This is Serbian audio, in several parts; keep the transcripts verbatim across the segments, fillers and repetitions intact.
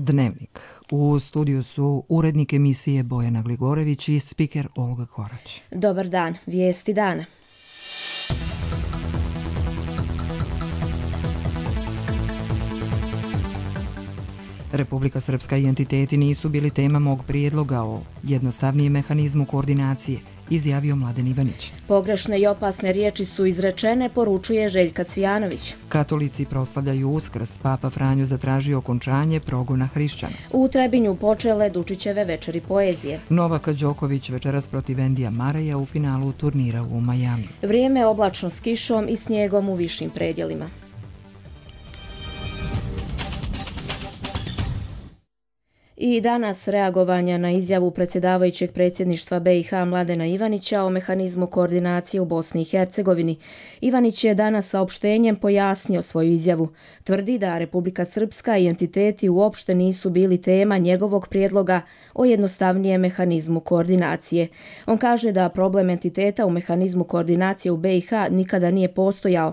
Dnevnik. U studiju su urednik emisije Bojana Gligorević i spiker Olga Korać. Dobar dan, vijesti dana. Republika Srpska i entiteti nisu bili tema mog prijedloga o jednostavnijem mehanizmu koordinacije, izjavio Mladen Ivanić. Pogrešne i opasne riječi su izrečene, poručuje Željka Cvijanović. Katolici proslavljaju Uskrs, Papa Franjo zatražio okončanje progona hrišćana. U Trebinju počele Dučićeve večeri poezije. Novak Đoković večeras protiv Endija Maraja u finalu turnira u Majamiju. Vrijeme oblačno s kišom i snijegom u višim predjelima. I danas reagovanja na izjavu predsjedavajućeg predsjedništva B i H Mladena Ivanića o mehanizmu koordinacije u Bosni i Hercegovini. Ivanić je danas saopštenjem pojasnio svoju izjavu. Tvrdi da Republika Srpska i entiteti uopšte nisu bili tema njegovog prijedloga o jednostavnijem mehanizmu koordinacije. On kaže da problem entiteta u mehanizmu koordinacije u B i H nikada nije postojao.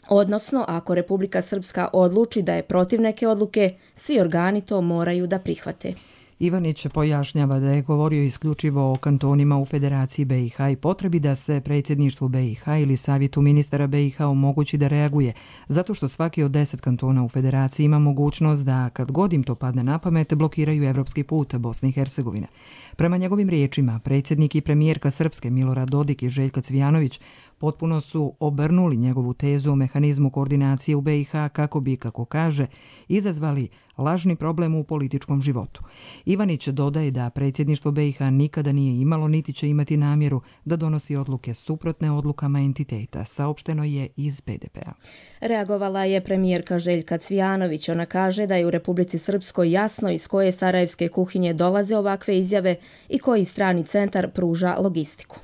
Odnosno, ako Republika Srpska odluči da je protiv neke odluke, svi organi to moraju da prihvate. Ivanić pojašnjava da je govorio isključivo o kantonima u Federaciji B i H i potrebi da se predsjedništvu B i H ili savjetu ministara B i H omogući da reaguje, zato što svaki od deset kantona u Federaciji ima mogućnost da, kad god im to padne na pamet, blokiraju evropski put Bosne i Hercegovine. Prema njegovim riječima, predsjednik i premijerka Srpske Milorad Dodik i Željka Cvijanović potpuno su obrnuli njegovu tezu o mehanizmu koordinacije u B i H kako bi, kako kaže, izazvali lažni problem u političkom životu. Ivanić dodaje da predsjedništvo B i H nikada nije imalo niti će imati namjeru da donosi odluke suprotne odlukama entiteta, saopšteno je iz P D P-a. Reagovala je premijerka Željka Cvijanović. Ona kaže da je u Republici Srpskoj jasno iz koje sarajevske kuhinje dolaze ovakve izjave i koji strani centar pruža logistiku.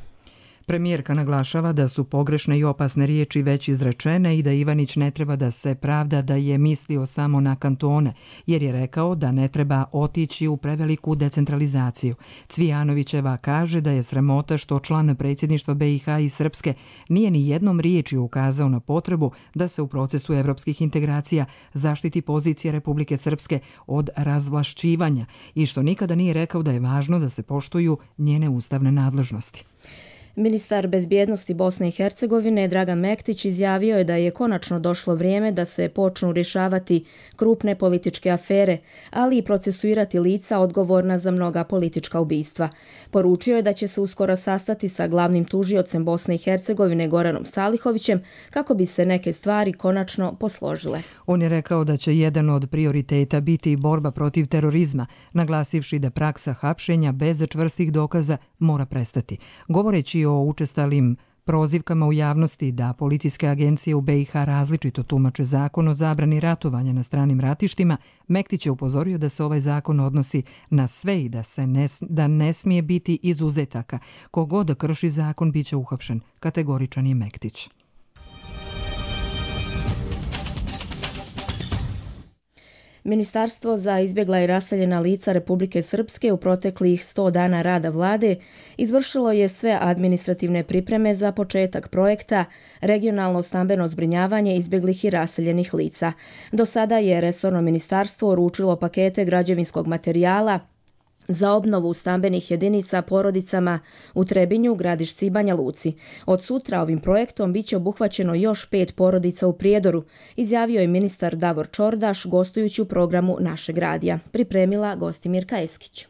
Premijerka naglašava da su pogrešne i opasne riječi već izrečene i da Ivanić ne treba da se pravda da je mislio samo na kantone, jer je rekao da ne treba otići u preveliku decentralizaciju. Cvijanovićeva kaže da je sramota što član predsjedništva B i H i Srpske nije ni jednom riječju ukazao na potrebu da se u procesu evropskih integracija zaštiti pozicija Republike Srpske od razvlašćivanja i što nikada nije rekao da je važno da se poštuju njene ustavne nadležnosti. Ministar bezbjednosti Bosne i Hercegovine Dragan Mektić izjavio je da je konačno došlo vrijeme da se počnu rješavati krupne političke afere, ali i procesuirati lica odgovorna za mnoga politička ubistva. Poručio je da će se uskoro sastati sa glavnim tužiocem Bosne i Hercegovine Goranom Salihovićem kako bi se neke stvari konačno posložile. On je rekao da će jedan od prioriteta biti borba protiv terorizma, naglasivši da praksa hapšenja bez čvrstih dokaza mora prestati. Govoreći o učestalim prozivkama u javnosti da policijske agencije u B i H različito tumače zakon o zabrani ratovanja na stranim ratištima, Mektić je upozorio da se ovaj zakon odnosi na sve i da, se ne, da ne smije biti izuzetaka. Kogod krši zakon biće uhapšen, kategoričan je Mektić. Ministarstvo za izbjegla i raseljena lica Republike Srpske u proteklih sto dana rada vlade izvršilo je sve administrativne pripreme za početak projekta Regionalno stambeno zbrinjavanje izbjeglih i raseljenih lica. Do sada je resorno ministarstvo uručilo pakete građevinskog materijala za obnovu stambenih jedinica porodicama u Trebinju, Gradišci i Banja Luci. Od sutra ovim projektom biće obuhvaćeno još pet porodica u Prijedoru, izjavio je ministar Davor Čordaš gostujući u programu Našeg radija. Pripremila Gostimirka Eskić.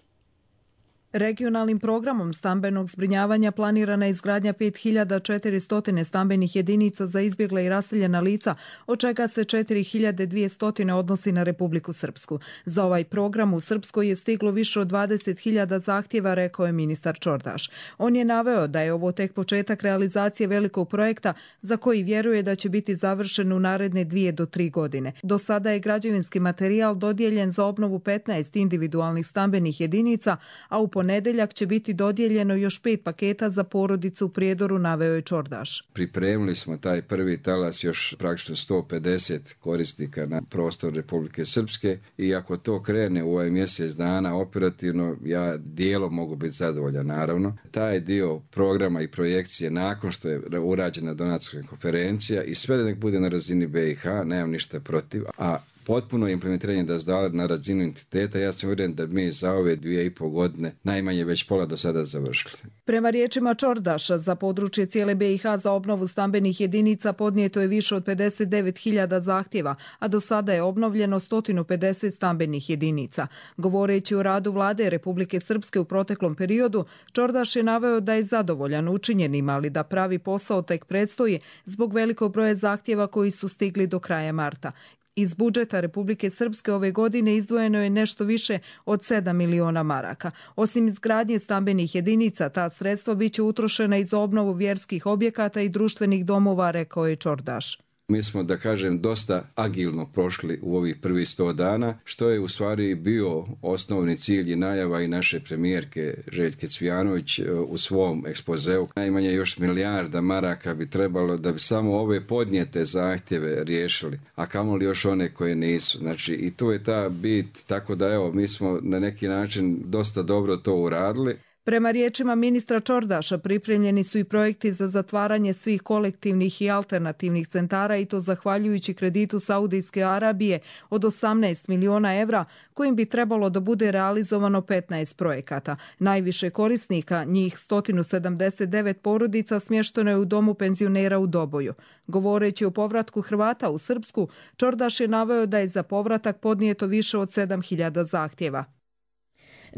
Regionalnim programom stambenog zbrinjavanja planirana je izgradnja pet hiljada četiristo stambenih jedinica za izbjegla i raseljena lica, od čega se četiri hiljade dvjesto odnosi na Republiku Srpsku. Za ovaj program u Srpskoj je stiglo više od dvadeset hiljada zahtjeva, rekao je ministar Čordaš. On je naveo da je ovo tek početak realizacije velikog projekta za koji vjeruje da će biti završen u naredne dvije do tri godine. Do sada je građevinski materijal dodijeljen za obnovu petnaest individualnih stambenih jedinica, a u ponedeljak će biti dodijeljeno još pet paketa za porodicu u Prijedoru, naveo je Čordaš. Pripremili smo taj prvi talas još praktično sto pedeset korisnika na prostor Republike Srpske i ako to krene u ovaj mjesec dana operativno, ja dijelom mogu biti zadovoljan naravno. Taj dio programa i projekcije nakon što je urađena donatorska konferencija i sve da nek bude na razini B i H, nemam ništa protiv, a potpuno implementiranje da zdala na razinu entiteta. Ja sam uvjeren da mi za ove dvije i pol godine najmanje već pola do sada završili. Prema riječima Čordaša, za područje cijele B i H za obnovu stambenih jedinica podnijeto je više od pedeset devet hiljada zahtjeva, a do sada je obnovljeno sto pedeset stambenih jedinica. Govoreći o radu vlade Republike Srpske u proteklom periodu, Čordaš je naveo da je zadovoljan učinjenim, ali da pravi posao tek predstoji zbog velikog broja zahtjeva koji su stigli do kraja marta. Iz budžeta Republike Srpske ove godine izdvojeno je nešto više od sedam miliona maraka. Osim izgradnje stambenih jedinica, ta sredstva biće utrošena i za obnovu vjerskih objekata i društvenih domova, rekao je Čordaš. Mi smo, da kažem, dosta agilno prošli u ovih prvih sto dana, što je u stvari bio osnovni cilj i najava i naše premijerke Željke Cvijanović u svom ekspozeu. Najmanje još milijarda maraka bi trebalo da bi samo ove podnijete zahtjeve riješili, a kamoli još one koje nisu. Znači, i tu je ta bit, tako da evo, mi smo na neki način dosta dobro to uradili. Prema riječima ministra Čordaša, pripremljeni su i projekti za zatvaranje svih kolektivnih i alternativnih centara i to zahvaljujući kreditu Saudijske Arabije od osamnaest miliona evra, kojim bi trebalo da bude realizovano petnaest projekata. Najviše korisnika, njih sto sedamdeset devet porodica, smješteno je u domu penzionera u Doboju. Govoreći o povratku Hrvata u Srpsku, Čordaš je naveo da je za povratak podnijeto više od sedam hiljada zahtjeva.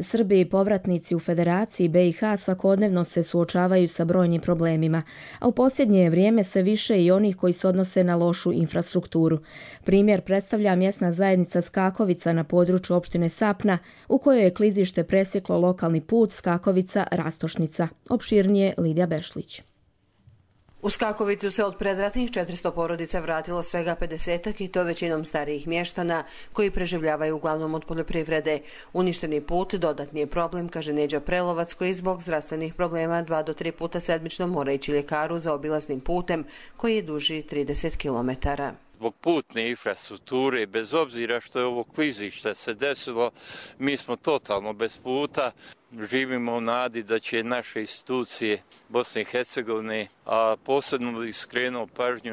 Srbi i povratnici u Federaciji B i H svakodnevno se suočavaju sa brojnim problemima, a u posljednje vrijeme sve više i onih koji se odnose na lošu infrastrukturu. Primjer predstavlja mjesna zajednica Skakovica na području opštine Sapna, u kojoj je klizište presjeklo lokalni put Skakovica-Rastošnica. Opširnije Lidija Bešlić. U Skakovicu se od predratnih četiristo porodica vratilo svega pedesetak i to većinom starijih mještana koji preživljavaju uglavnom od poljoprivrede. Uništeni put dodatni je problem, kaže Neđa Prelovac, koji zbog zdravstvenih problema dva do tri puta sedmično mora ići ljekaru za obilaznim putem koji je duži trideset kilometara. Zbog putne infrastrukture, bez obzira što je ovo klizište se desilo, mi smo totalno bez puta. Živimo u nadi da će naše institucije Bosne i Hercegovine, a posebno bih skrenuo pažnju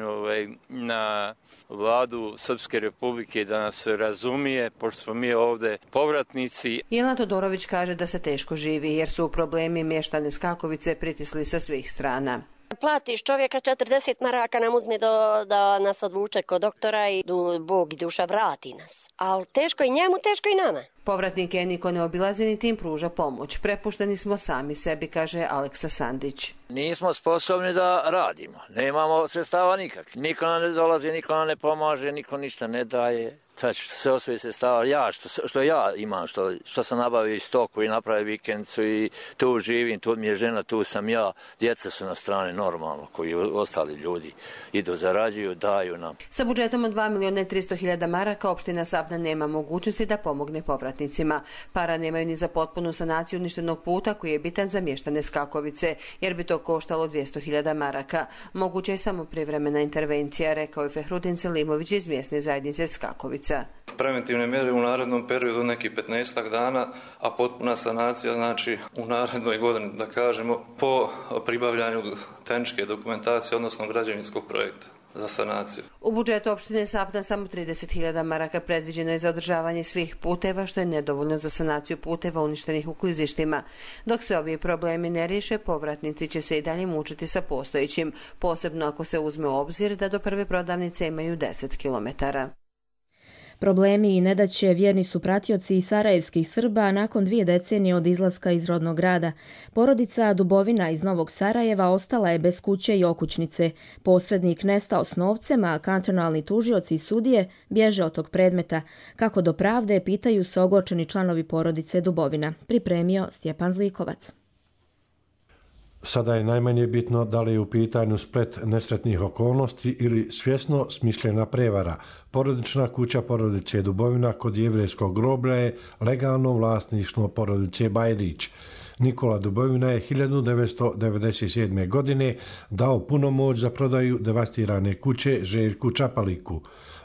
na vladu Srpske Republike da nas razumije, pošto smo mi ovdje povratnici. Jelena Todorović kaže da se teško živi jer su problemi mještane Skakovice pritisli sa svih strana. Platiš čovjeka četrdeset maraka nam uzme do, da nas odvuče kod doktora i Bog i duša vrati nas. Ali teško i njemu, teško i nama. Povratnike niko ne obilazi niti im pruža pomoć. Prepušteni smo sami sebi, kaže Aleksa Sandić. Nismo sposobni da radimo. Nemamo sredstava nikak. Niko nam ne dolazi, niko nam ne pomaže, niko ništa ne daje. Znači, sve osvoji sredstava, ja, što, što ja imam, što, što sam nabavio stoku i napravio vikendicu i tu živim, tu mi je žena, tu sam ja, djeca su na strani normalno, koji ostali ljudi idu, zarađuju, daju nam. Sa budžetom od dva miliona i tristo hiljada maraka opština Sapna nema mogućnosti da pomogne povratnicima. Para nemaju ni za potpunu sanaciju uništenog puta koji je bitan za mještane Skakovice, jer bi to koštalo dvjesto hiljada maraka. Moguća je samo privremena intervencija, rekao je Fehrudin Selimović iz mjesne zajednice Skakovice. Preventivne mjere u narednom periodu neki petnaestak dana, a potpuna sanacija znači u narednoj godini, da kažemo, po pribavljanju tehničke dokumentacije, odnosno građevinskog projekta za sanaciju. U budžetu opštine Sapna samo trideset hiljada maraka predviđeno je za održavanje svih puteva, što je nedovoljno za sanaciju puteva uništenih u klizištima. Dok se ovi problemi ne riješe, povratnici će se i dalje mučiti sa postojećim, posebno ako se uzme u obzir da do prve prodavnice imaju deset kilometara. Problemi i nedaće vjerni su pratioci i sarajevskih Srba nakon dvije decenije od izlaska iz rodnog grada. Porodica Dubovina iz Novog Sarajeva ostala je bez kuće i okućnice. Posrednik nestao s novcem, a kantonalni tužioci i sudije bježe od tog predmeta. Kako do pravde, pitaju se ogorčeni članovi porodice Dubovina. Pripremio Stjepan Zlikovac. Sada je najmanje bitno da li je u pitanju splet nesretnih okolnosti ili svjesno smišljena prevara. Porodična kuća porodice Dubovina kod jevrejskog groblja je legalno vlasništvo porodice Bajrić. Nikola Dubovina je hiljadu devetsto devedeset sedme. godine dao punomoć za prodaju devastirane kuće Željku Čapaliku.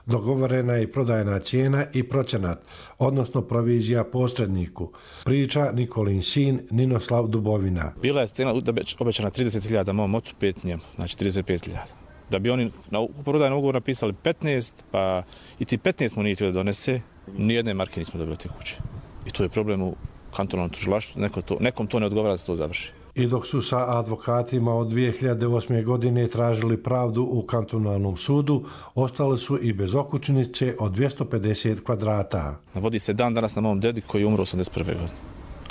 Dogovorena je prodajna cijena i procenat, odnosno provizija posredniku. Priča Nikolin sin Ninoslav Dubovina. Bila je cijena obećana trideset hiljada, mom ocu pet njemu, znači trideset pet hiljada. Da bi oni na prodajnom ugovoru napisali petnaest, pa i ti petnaest mu nije htio da donese, nijedne marke nismo dobili te kuće. I to je problem u kantonalnom tužilaštvu, neko to, nekom to ne odgovara da se to završi. I dok su sa advokatima od dvije hiljade osme. godine tražili pravdu u kantonalnom sudu, ostali su i bez okućnice od dvjesto pedeset kvadrata. Vodi se dan danas na mom dedi koji je umro osamdeset prve. godine.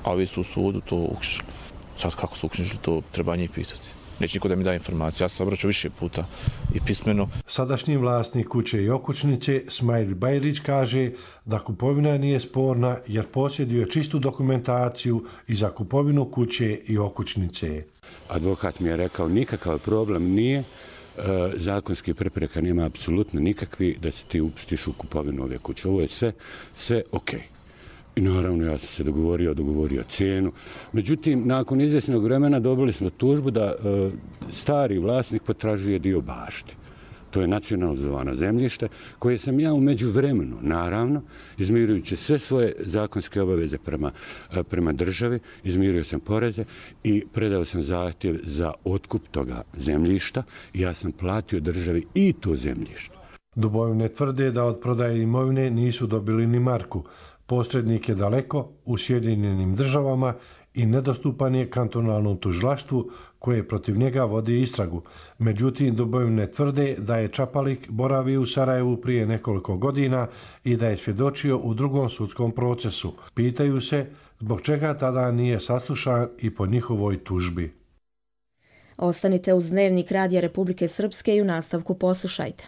A ovi su u sudu to uknjižili. Sad kako su uknjižili, to treba njih pitati. Neće niko da mi da informaciju. Ja sam obraćao više puta i pismeno. Sadašnji vlasnik kuće i okućnice, Smajl Bajrić, kaže da kupovina nije sporna jer posjeduje čistu dokumentaciju i za kupovinu kuće i okućnice. Advokat mi je rekao nikakav problem nije, zakonski prepreka nema apsolutno nikakvi da se ti upustiš u kupovinu ove kuće. Ovo je sve, sve okej. I naravno ja sam se dogovorio, dogovorio cijenu. Međutim, nakon izvjesnog vremena dobili smo tužbu da e, stari vlasnik potražuje dio bašte. To je nacionalizovano zemljište koje sam ja u međuvremenu, naravno, izmirujući sve svoje zakonske obaveze prema, prema državi, izmirio sam poreze i predao sam zahtjev za otkup toga zemljišta i ja sam platio državi i to zemljište. Dubovine tvrde da od prodaje imovine nisu dobili ni marku. Posrednik je daleko u Sjedinjenim državama i nedostupan je kantonalnom tužilaštvu koje protiv njega vodi istragu. Međutim, Dubovine tvrde da je Čapalik boravio u Sarajevu prije nekoliko godina i da je svjedočio u drugom sudskom procesu. Pitaju se zbog čega tada nije saslušan i po njihovoj tužbi. Ostanite uz Dnevnik Radija Republike Srpske i u nastavku poslušajte.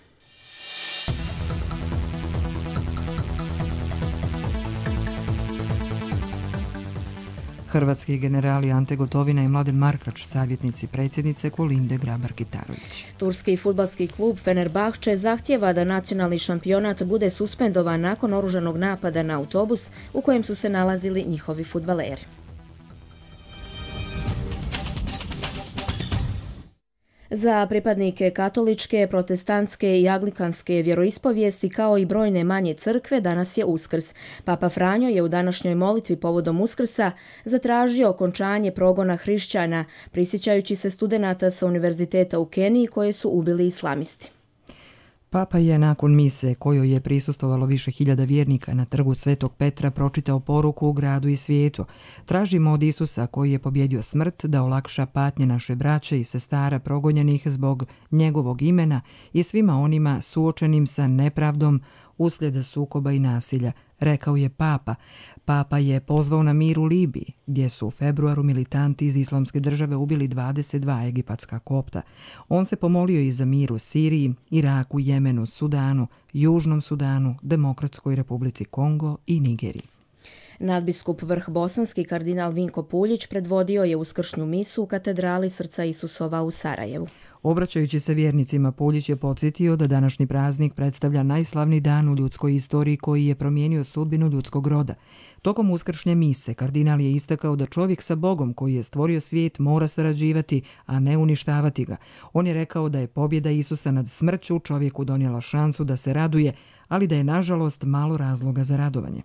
Hrvatski generali Ante Gotovina i Mladen Markač, savjetnici predsjednice Kolinde Grabar-Kitarović. Turski fudbalski klub Fenerbahče zahtjeva da nacionalni šampionat bude suspendovan nakon oružanog napada na autobus u kojem su se nalazili njihovi fudbaleri. Za pripadnike katoličke, protestantske i anglikanske vjeroispovijesti kao i brojne manje crkve danas je Uskrs. Papa Franjo je u današnjoj molitvi povodom Uskrsa zatražio okončanje progona hrišćana, prisjećajući se studenata sa univerziteta u Keniji koje su ubili islamisti. Papa je nakon mise, kojoj je prisustvovalo više hiljada vjernika na trgu Svetog Petra, pročitao poruku u gradu i svijetu. Tražimo od Isusa, koji je pobjedio smrt, da olakša patnje naše braće i sestara progonjenih zbog njegovog imena i svima onima suočenim sa nepravdom uslijed sukoba i nasilja, rekao je Papa. Papa je pozvao na mir u Libiji, gdje su u februaru militanti iz Islamske države ubili dvadeset dva egipatska kopta. On se pomolio i za mir u Siriji, Iraku, Jemenu, Sudanu, Južnom Sudanu, Demokratskoj Republici Kongo i Nigeriji. Nadbiskup Vrh Bosanski kardinal Vinko Puljić predvodio je uskršnju misu u katedrali Srca Isusova u Sarajevu. Obraćajući se vjernicima, Puljić je podsjetio da današnji praznik predstavlja najslavniji dan u ljudskoj istoriji koji je promijenio sudbinu ljudskog roda. Tokom uskršnje mise, kardinal je istakao da čovjek sa Bogom koji je stvorio svijet mora sarađivati, a ne uništavati ga. On je rekao da je pobjeda Isusa nad smrću čovjeku donijela šansu da se raduje, ali da je nažalost malo razloga za radovanje.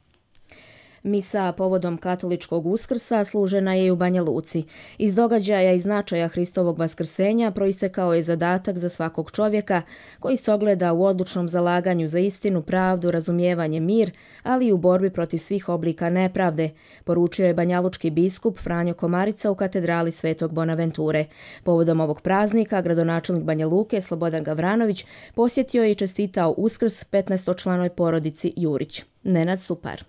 Misa povodom katoličkog Uskrsa služena je i u Banja Luci. Iz događaja i značaja Hristovog vaskrsenja proistekao je zadatak za svakog čovjeka koji se ogleda u odlučnom zalaganju za istinu, pravdu, razumijevanje, mir, ali i u borbi protiv svih oblika nepravde, poručio je banjalučki biskup Franjo Komarica u katedrali Svetog Bonaventure. Povodom ovog praznika gradonačelnik Banja Luke Slobodan Gavranović posjetio je i čestitao Uskrs petnaestočlanoj porodici Jurić. Nenad Stupar.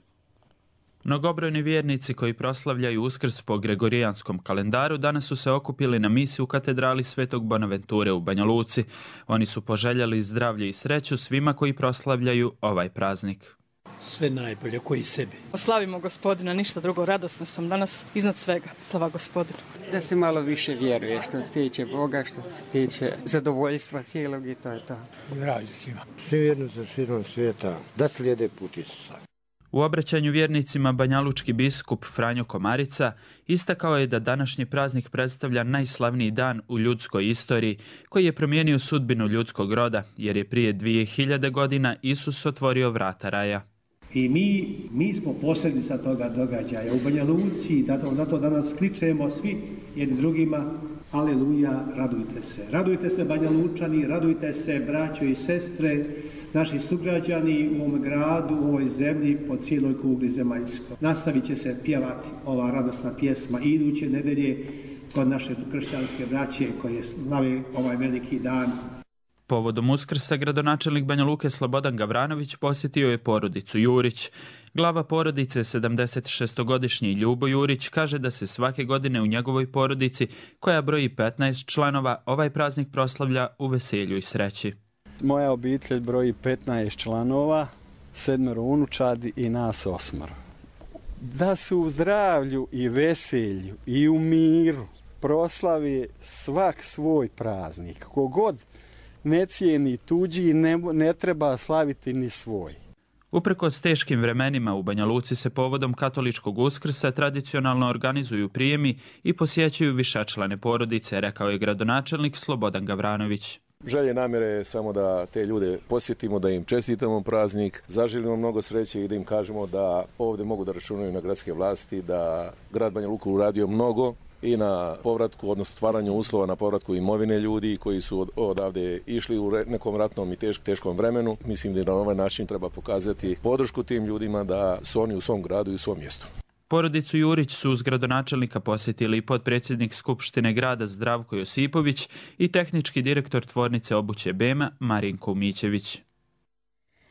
Mnogobrojni vjernici koji proslavljaju Uskrs po gregorijanskom kalendaru danas su se okupili na misi u katedrali Svetog Bonaventure u Banja Luci. Oni su poželjeli zdravlje i sreću svima koji proslavljaju ovaj praznik. Sve najbolje, koji sebi. Slavimo Gospodina, ništa drugo, radosna sam danas iznad svega. Slava Gospodinu. Da se malo više vjeruje što se tiče Boga, što se tiče zadovoljstva cijelog i to je to. Zdravlje svima. Svi vjernici širom svijeta da slijede put Isusa. U obraćanju vjernicima banjalučki biskup Franjo Komarica istakao je da današnji praznik predstavlja najslavniji dan u ljudskoj istoriji koji je promijenio sudbinu ljudskog roda, jer je prije dvije hiljade godina Isus otvorio vrata raja. I mi, mi smo posljedica toga događaja u Banja Luci, zato, zato danas kličemo svi jedni drugima Aleluja, radujte se. Radujte se Banja Lučani, radujte se braćo i sestre, naši sugrađani u ovom gradu, u ovoj zemlji, po cijeloj kugli zemaljskoj. Nastavit će se pjevati ova radosna pjesma i iduće nedelje kod naše kršćanske braće koje slave ovaj veliki dan. Povodom Uskrsa gradonačelnik Banja Luke Slobodan Gavranović posjetio je porodicu Jurić. Glava porodice, sedamdesetšestogodišnji Ljubo Jurić, kaže da se svake godine u njegovoj porodici, koja broji petnaest članova, ovaj praznik proslavlja u veselju i sreći. Moja obitelj broji petnaest članova, sedmero unučadi i nas osmero. Da su u zdravlju i veselju i u miru proslavi svak svoj praznik. Kogod ne cijeni tuđi, ne, ne treba slaviti ni svoj. Uprkos teškim vremenima u Banja Luci se povodom katoličkog Uskrsa tradicionalno organizuju prijemi i posjećuju višečlane porodice, rekao je gradonačelnik Slobodan Gavranović. Želje namjere je samo da te ljude posjetimo, da im čestitamo praznik, zaželimo mnogo sreće i da im kažemo da ovdje mogu da računaju na gradske vlasti, da grad Banja Luka uradio mnogo i na povratku, odnosno stvaranju uslova na povratku imovine ljudi koji su odavde išli u nekom ratnom i tešk, teškom vremenu. Mislim da na ovaj način treba pokazati podršku tim ljudima da su oni u svom gradu i u svom mjestu. Porodicu Jurić su uz gradonačelnika posjetili potpredsjednik Skupštine grada Zdravko Josipović i tehnički direktor tvornice obuće Bema Marinko Mićević.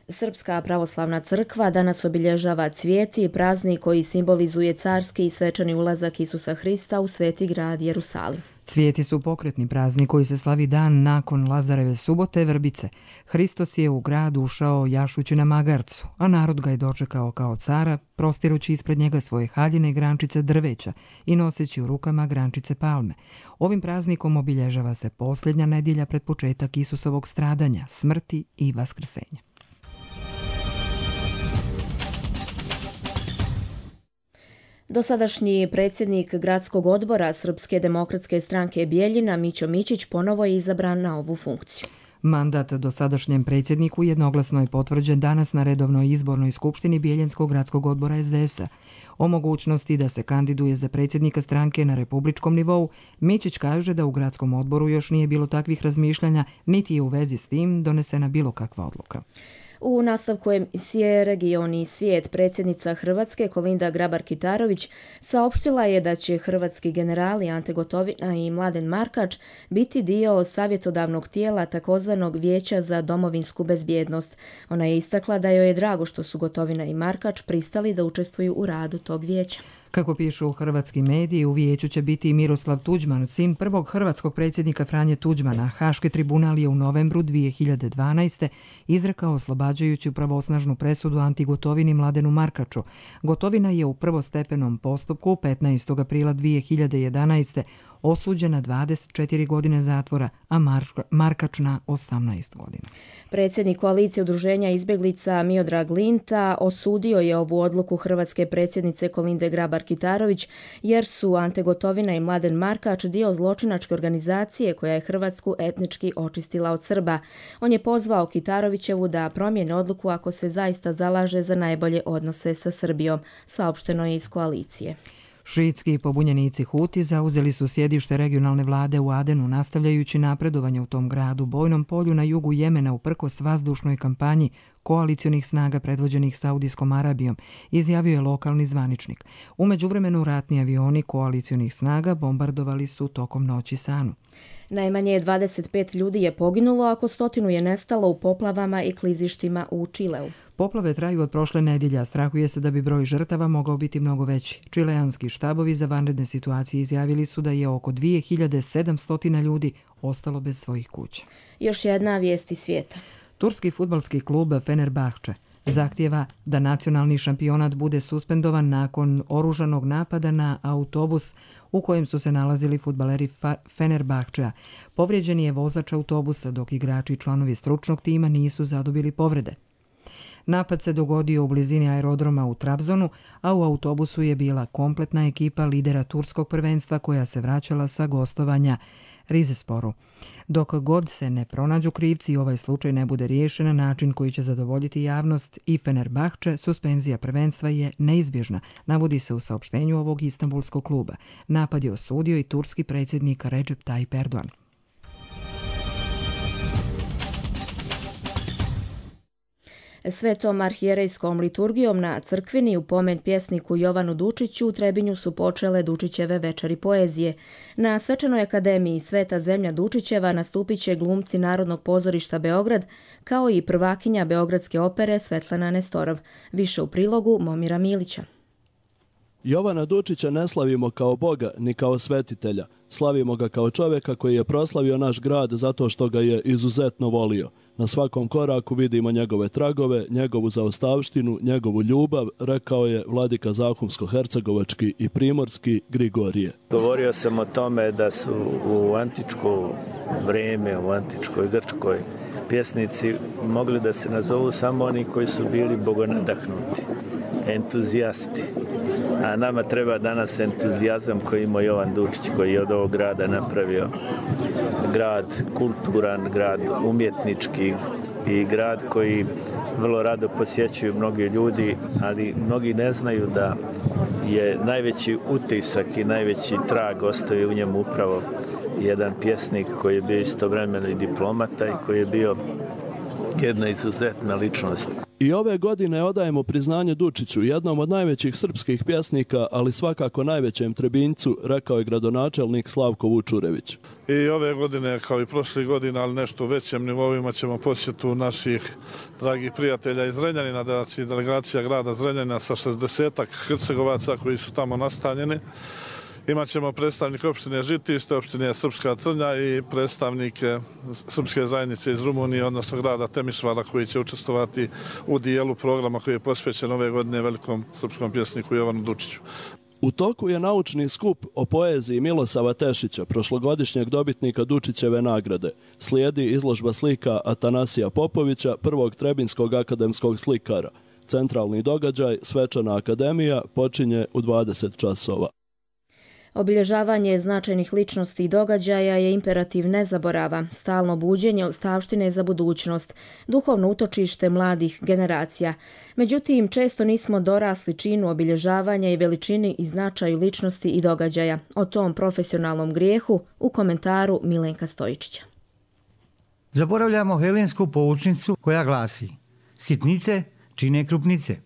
Srpska pravoslavna crkva danas obilježava cvijeti, praznik koji simbolizuje carski i svečani ulazak Isusa Hrista u sveti grad Jerusalim. Cvijeti su pokretni praznik koji se slavi dan nakon Lazareve subote Vrbice. Hristos je u grad ušao jašući na magarcu, a narod ga je dočekao kao cara, prostirući ispred njega svoje haljine i grančice drveća i noseći u rukama grančice palme. Ovim praznikom obilježava se posljednja nedjelja pred početak Isusovog stradanja, smrti i vaskrsenja. Dosadašnji predsjednik gradskog odbora Srpske demokratske stranke Bijeljina Mićo Mićić ponovo je izabran na ovu funkciju. Mandat dosadašnjem predsjedniku jednoglasno je potvrđen danas na redovnoj izbornoj skupštini Bijeljanskog gradskog odbora es de es a. O mogućnosti da se kandiduje za predsjednika stranke na republičkom nivou, Mićić kaže da u gradskom odboru još nije bilo takvih razmišljanja, niti je u vezi s tim donesena bilo kakva odluka. U nastavku emisije Region i svijet predsjednica Hrvatske Kolinda Grabar-Kitarović saopštila je da će hrvatski generali Ante Gotovina i Mladen Markač biti dio savjetodavnog tijela takozvanog Vijeća za domovinsku bezbjednost. Ona je istakla da joj je drago što su Gotovina i Markač pristali da učestvuju u radu tog vijeća. Kako pišu hrvatski mediji, u vijeću će biti i Miroslav Tuđman, sin prvog hrvatskog predsjednika Franje Tuđmana. Haški tribunal je u novembru dvije hiljade dvanaeste. izrekao oslobađajuću pravosnažnu presudu Anti Gotovini Mladenu Markaču. Gotovina je u prvostepenom postupku petnaestog aprila dvije hiljade jedanaeste. osuđena dvadeset četiri godine zatvora, a Markač na osamnaest godina. Predsjednik koalicije udruženja izbjeglica Miodrag Linta osudio je ovu odluku hrvatske predsjednice Kolinde Grabar-Kitarović jer su Ante Gotovina i Mladen Markač dio zločinačke organizacije koja je Hrvatsku etnički očistila od Srba. On je pozvao Kitarovićevu da promijene odluku ako se zaista zalaže za najbolje odnose sa Srbijom, saopšteno je iz koalicije. Šiitski pobunjenici Huti zauzeli su sjedište regionalne vlade u Adenu, nastavljajući napredovanje u tom gradu, bojnom polju na jugu Jemena uprkos vazdušnoj kampanji koalicionih snaga predvođenih Saudijskom Arabijom, izjavio je lokalni zvaničnik. U međuvremenu ratni avioni koalicionih snaga bombardovali su tokom noći Sanu. Najmanje dvadeset pet ljudi je poginulo, a oko stotinu je nestalo u poplavama i klizištima u Čileu. Poplave traju od prošle nedjelje, a strahuje se da bi broj žrtava mogao biti mnogo veći. Čileanski štabovi za vanredne situacije izjavili su da je oko dvije hiljade sedamsto ljudi ostalo bez svojih kuća. Još jedna vijest iz svijeta. Turski fudbalski klub Fenerbahče zahtijeva da nacionalni šampionat bude suspendovan nakon oružanog napada na autobus u kojem su se nalazili fudbaleri Fenerbahčea. Povrijeđen je vozač autobusa, dok igrači i članovi stručnog tima nisu zadobili povrede. Napad se dogodio u blizini aerodroma u Trabzonu, a u autobusu je bila kompletna ekipa lidera turskog prvenstva koja se vraćala sa gostovanja Rizesporu. Dok god se ne pronađu krivci i ovaj slučaj ne bude riješen na način koji će zadovoljiti javnost i Fenerbahče, suspenzija prvenstva je neizbježna, navodi se u saopštenju ovog istanbulskog kluba. Napad je osudio i turski predsjednik Recep Tayyip Erdogan. Svetom arhijerejskom liturgijom na crkvini u pomen pjesniku Jovanu Dučiću u Trebinju su počele Dučićeve večeri poezije. Na Svečanoj akademiji Sveta zemlja Dučićeva nastupit će glumci Narodnog pozorišta Beograd, kao i prvakinja Beogradske opere Svetlana Nestorov. Više u prilogu Momira Milića. Jovana Dučića ne slavimo kao Boga ni kao svetitelja. Slavimo ga kao čovjeka koji je proslavio naš grad zato što ga je izuzetno volio. Na svakom koraku vidimo njegove tragove, njegovu zaostavštinu, njegovu ljubav, rekao je vladika Zahumsko-hercegovački i primorski Grigorije. Govorio sam o tome da su u antičko vrijeme, u antičkoj Grčkoj, pjesnici mogli da se nazovu samo oni koji su bili bogonadahnuti, entuzijasti. A nama treba danas entuzijazam koji ima Jovan Dučić, koji je od ovog grada napravio grad kulturan, grad umjetnički i grad koji vrlo rado posjećuju mnogi ljudi, ali mnogi ne znaju da je najveći utisak i najveći trag ostavio u njemu upravo jedan pjesnik koji je bio istovremeno i diplomata i koji je bio jedna izuzetna ličnost. I ove godine odajemo priznanje Dučiću, jednom od najvećih srpskih pjesnika, ali svakako najvećem Trebinjcu, rekao je gradonačelnik Slavko Vučurević. I ove godine, kao i prošlih godina, ali nešto u većem nivoima, ćemo posjetu naših dragih prijatelja iz Zrenjanina, znači delegacija grada Zrenjanina sa šezdesetak Hercegovaca koji su tamo nastanjeni. Imaćemo predstavnike opštine Žitište, opštine Srpska Crnja i predstavnike srpske zajednice iz Rumunije, odnosno grada Temišvara, koji će učestvovati u dijelu programa koji je posvećen ove godine velikom srpskom pjesniku Jovanu Dučiću. U toku je naučni skup o poeziji Milosava Tešića, prošlogodišnjeg dobitnika Dučićeve nagrade. Slijedi izložba slika Atanasija Popovića, prvog trebinskog akademskog slikara. Centralni događaj, Svečana akademija, počinje u dvadeset časova. Obilježavanje značajnih ličnosti i događaja je imperativ nezaborava, stalno buđenje ostavštine za budućnost, duhovno utočište mladih generacija. Međutim, često nismo dorasli činu obilježavanja i veličini i značaju ličnosti i događaja. O tom profesionalnom grijehu u komentaru Milenka Stojičića. Zaboravljamo helensku poučnicu koja glasi: sitnice čine krupnice.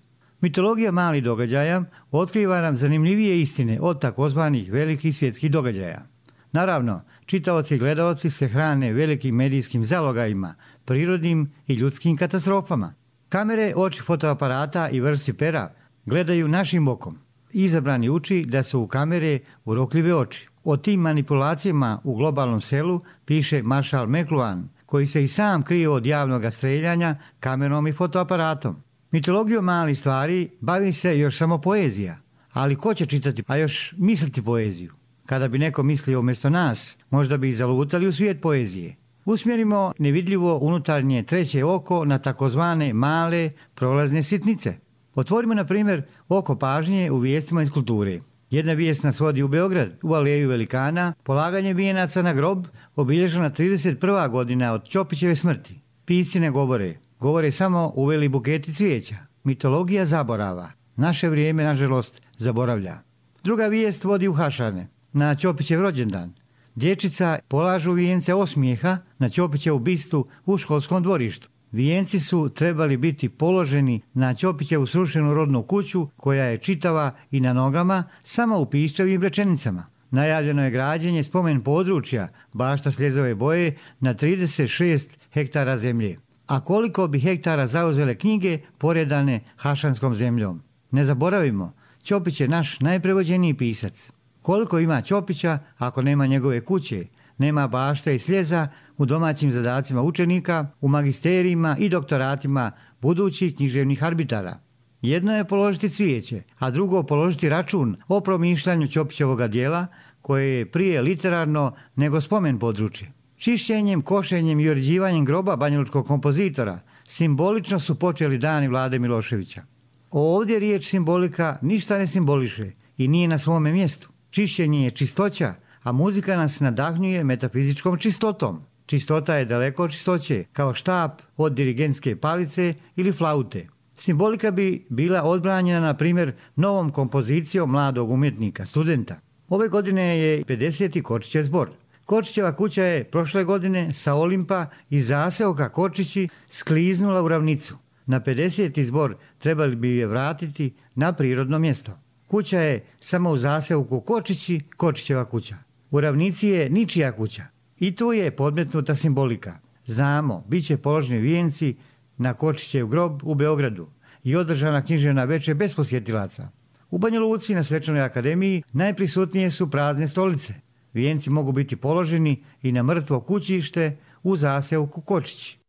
Mitologija malih događaja otkriva nam zanimljivije istine od takozvanih velikih svjetskih događaja. Naravno, čitaoci i gledaoci se hrane velikim medijskim zalogajima, prirodnim i ljudskim katastrofama. Kamere, oči fotoaparata i vršci pera gledaju našim okom. Izabrani uči da su u kamere urokljive oči. O tim manipulacijama u globalnom selu piše maršal McLuhan, koji se i sam krije od javnog streljanja kamerom i fotoaparatom. Mitologijom malih stvari bavi se još samo poezija, ali ko će čitati, a još misliti poeziju? Kada bi neko mislio umjesto nas, možda bi i zalutali u svijet poezije. Usmjerimo nevidljivo unutarnje treće oko na takozvane male prolazne sitnice. Otvorimo, na primjer, oko pažnje u vijestima iz kulture. Jedna vijest nas vodi u Beograd, u aleju velikana, polaganje vijenaca na grob, obilježena trideset prva godina od Ćopićeve smrti. Pisci ne govore. Govore samo uveli buketi cvijeća. Mitologija zaborava. Naše vrijeme, nažalost, zaboravlja. Druga vijest vodi u Hašane, na Ćopićev rođendan. Dječica polažu vijence osmijeha na Ćopićevu bistu u školskom dvorištu. Vijenci su trebali biti položeni na Ćopićevu srušenu rodnu kuću, koja je čitava i na nogama, samo u pišćavim rečenicama. Najavljeno je građenje spomen područja Bašta Sljezove boje na trideset šest hektara zemlje. A koliko bi hektara zauzele knjige poredane hašanskom zemljom? Ne zaboravimo, Ćopić je naš najprevođeniji pisac. Koliko ima Ćopića ako nema njegove kuće, nema bašte i sljeza u domaćim zadacima učenika, u magisterijima i doktoratima budućih književnih arbitara? Jedno je položiti cvijeće, a drugo položiti račun o promišljanju Ćopićevoga dijela, koje je prije literarno nego spomen područje. Čišćenjem, košenjem i uređivanjem groba banjalučkog kompozitora simbolično su počeli dani Vlade Miloševića. Ovdje riječ simbolika ništa ne simboliše i nije na svome mjestu. Čišćenje je čistoća, a muzika nas nadahnjuje metafizičkom čistotom. Čistota je daleko od čistoće, kao štap od dirigentske palice ili flaute. Simbolika bi bila odbranjena, na primjer, novom kompozicijom mladog umjetnika, studenta. Ove godine je pedeseti Kočićev zbor. Kočićeva kuća je prošle godine sa Olimpa i zaseoka Kočići skliznula u ravnicu. Na pedeseti zbor trebali bi je vratiti na prirodno mjesto. Kuća je samo u zaseoku Kočići, Kočićeva kuća. U ravnici je ničija kuća. I tu je podmetnuta simbolika. Znamo, bit će položeni vijenci na Kočićev grob u Beogradu i održana književna večer bez posjetilaca. U Banja Luci na Svečanoj akademiji najprisutnije su prazne stolice. Vijenci mogu biti položeni i na mrtvo kućište u zaseoku Kočići.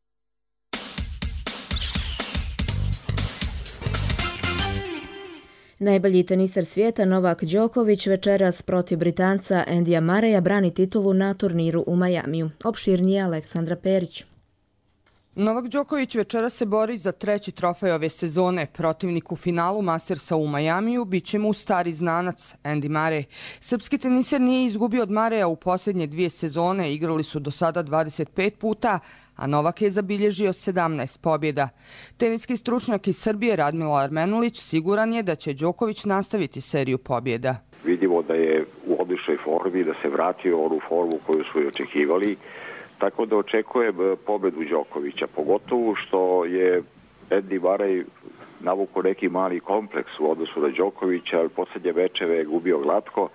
Najbolji teniser svijeta Novak Đoković večeras protiv Britanca Andyja Murraya brani titulu na turniru u Majamiju. Opširnije Aleksandra Perić. Novak Đoković večeras se bori za treći trofej ove sezone. Protivnik u finalu Mastersa u Majamiju bit će mu stari znanac Andy Murray. Srpski teniser nije izgubio od Murraya u posljednje dvije sezone, igrali su do sada dvadeset pet puta, a Novak je zabilježio sedamnaest pobjeda. Teniski stručnjak iz Srbije Radmilo Armenulić siguran je da će Đoković nastaviti seriju pobjeda. Vidimo da je u odličnoj formi, da se vratio u onu formu koju su i očekivali. Tako da očekujem pobedu Đokovića, pogotovo što je Andy Murray navukao neki mali kompleks u odnosu na Đokovića, ali posljednje mečeve je gubio glatko,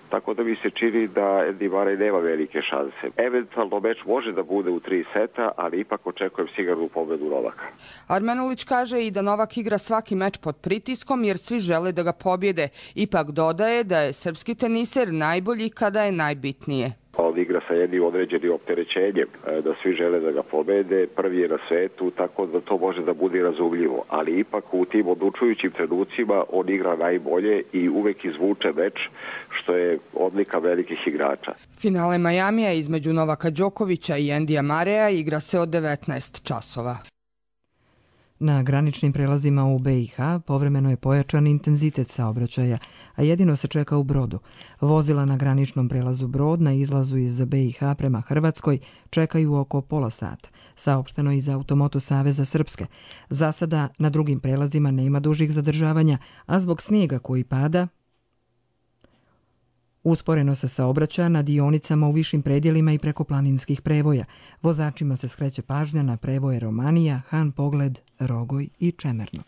tako da mi se čini da Andy Murray nema velike šanse. Eventualno meč može da bude u tri seta, ali ipak očekujem sigurnu pobedu Novaka. Armenulić kaže i da Novak igra svaki meč pod pritiskom jer svi žele da ga pobjede. Ipak dodaje da je srpski teniser najbolji kada je najbitnije. On igra sa jednim određenim opterećenjem, da svi žele da ga pobede, prvi je na svetu, tako da to može da bude razumljivo. Ali ipak u tim odlučujućim trenucima on igra najbolje i uvek izvuče meč, što je odlika velikih igrača. Finale Majamija između Novaka Đokovića i Andyja Murraya igra se od devetnaest časova. Na graničnim prelazima u B i H povremeno je pojačan intenzitet saobraćaja, a jedino se čeka u Brodu. Vozila na graničnom prelazu Brod na izlazu iz B i H prema Hrvatskoj čekaju oko pola sata, saopšteno iz Automoto Saveza Srpske. Za sada na drugim prelazima nema dužih zadržavanja, a zbog snijega koji pada, usporeno se saobraća na dionicama u višim predjelima i preko planinskih prevoja. Vozačima se skreće pažnja na prevoje Romanija, Han Pogled, Rogoj i Čemerno.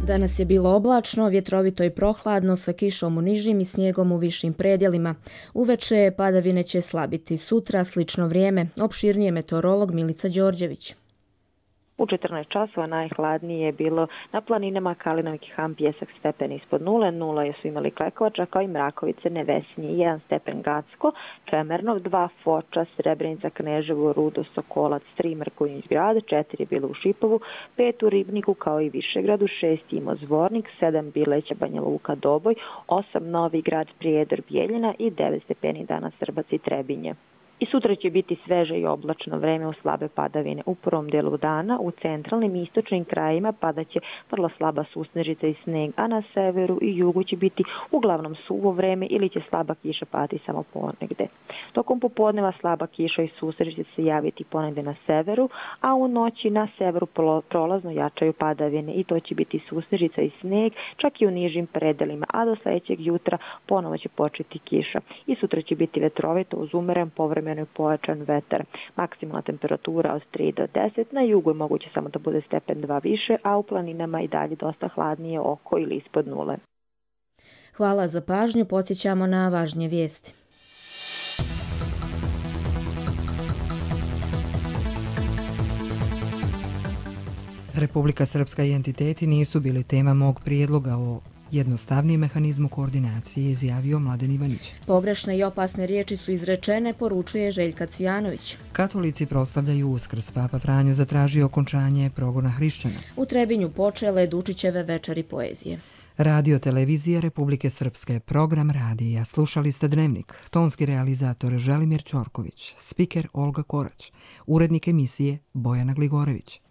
Danas je bilo oblačno, vjetrovito i prohladno sa kišom u nižim i snijegom u višim predjelima. Uveče padavine će slabiti. Sutra slično vrijeme. Opširnije meteorolog Milica Đorđević. U četrnaest časova najhladnije je bilo na planinama Kalinovik i Han, Pjesak stepen ispod nule, nula je su imali Klekovača kao i Mrakovice, Nevesinje, jedan stepen Gacko, Čemernov, dva Foča, Srebrenica, Kneževo, Rudo, Sokolac, tri Mrkonjić grad, četiri je bilo u Šipovu, pet u Ribniku kao i Višegradu, šest Imo Zvornik, sedam Bileća, Banja Luka, Doboj, osam Novi grad, Prijedor, Bijeljina i devet stepeni danas Srbac i Trebinje. I sutra će biti sveže i oblačno vreme u slabe padavine. U prvom delu dana u centralnim i istočnim krajima padaće vrlo slaba susnežica i sneg, a na severu i jugu će biti uglavnom suvo vreme ili će slaba kiša padati samo ponegde. Tokom popodneva slaba kiša i susnežica će se javiti ponegde na severu, a u noći na severu prolazno jačaju padavine i to će biti susnežica i sneg čak i u nižim predelima, a do sljedećeg jutra ponovo će početi kiša. I sutra će biti vetrovito uz umeren povremeno i pojačan vetar. Maksimalna temperatura od tri do deset, na jugu je moguće samo da bude stepen dva više, a u planinama i dalje dosta hladnije oko ili ispod nule. Hvala za pažnju, podsjećamo na važnije vijesti. Republika Srpska i entiteti nisu bili tema mog prijedloga o jednostavnijem mehanizmu koordinacije, izjavio Mladen Ivanić. Pogrešne i opasne riječi su izrečene, poručuje Željka Cvijanović. Katolici proslavljaju Uskrs. Papa Franjo zatražio okončanje progona hrišćana. U Trebinju počele Dučićeve večeri poezije. Radio televizija Republike Srpske, program radija. Slušali ste Dnevnik. Tonski realizator Želimir Ćorković, spiker Olga Korać, urednik emisije Bojana Gligorević.